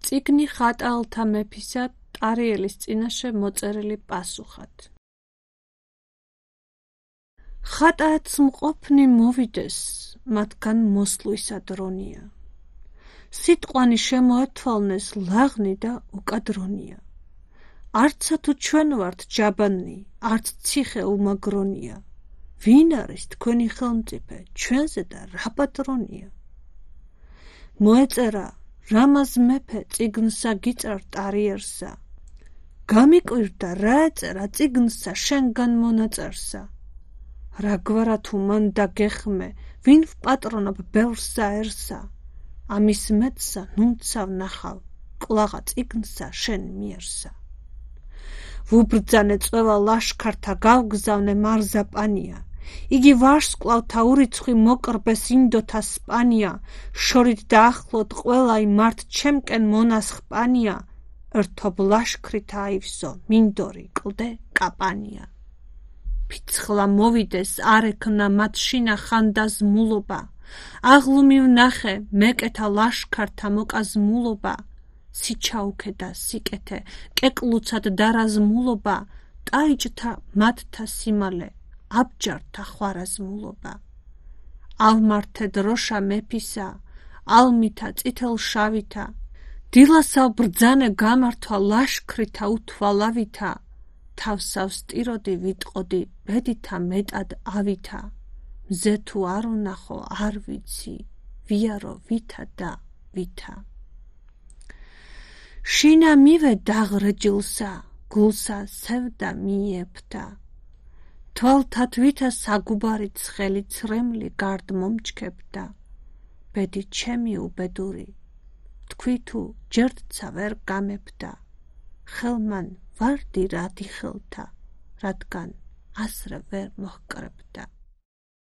წიგნი ხატალთა მეფისა ტარიელის წინაშე მოწერილი პასუხად. ხატააც მყოფნი მოვიდეს, მათგან მოსვლისა დრონია. სიტყვანი შემოეთვალნეს ლაღნი და უკადრონია. არცა თუ ჩვენ ვართ ჯაბანი, არც ციხე უმაგრონია. ვინ არის თქვენი ხელმწიფე, ჩვენზე და რა პატრონია? მოეწერა რამაზ მეფე წიგნსა გიწარ ტარიერსა. გამიკვირდა რა ეწერა წიგნსა შენგან მონაწერსა. რა გვარა თუ მან დაგეხმე, ვინ ვპატრონობ ბევრსა ერსა. ამის მეტსა ნუნცავ ნახავ, კლაღა წიგნსა შენ მიერსა. ვუბრძანე წვევა ლაშქართა გავგზავნე მარზაპანია. იგი ვარსკვლავთა ურიცხვი მოკრბეს ინდოთა სპანია. შორით დაახლოთ ყველა იმართ ჩემკენ მონასხპანია. ერთობ ლაშქრით აივსო მინდორი კლდე კაპანია. ფიცხლა მოვიდეს არ ექნა მათ შინა ხანდაზმულობა. აღლუმი ვნახე მეკეთა ლაშქართა მოკაზმულობა. სიჩაუქე და სიკეთე კეკლუცად დარაზმულობა. ტაიჭთა მათთა სიმალე აბჯართა ხვარაზმულობა. ალმართე დროშა მეფისა, ალმითა წითელშავითა. დილასავ ბრძანე გამართვა ლაშქრითა უთვალავითა. თავსავ სტიროდი ვიტყოდი ბედითა მეტად ავითა. მზე თუ არ ვნახო არ ვიცი, ვიარო ვითა და ვითა. შინა მივე დაღრეჯილსა, გულსა სევდა მიეფთა. თვალთა თვითა საგუბარი ცხელი ცრემლი გარდ მომჩქებდა. ბედი ჩემი უბედური, თქვი თუ ჯერდცა ვერ გამეფდა. ხელმან ვარდი რადი ხელთა, რადგან ასრე ვერ მოჰკრებდა.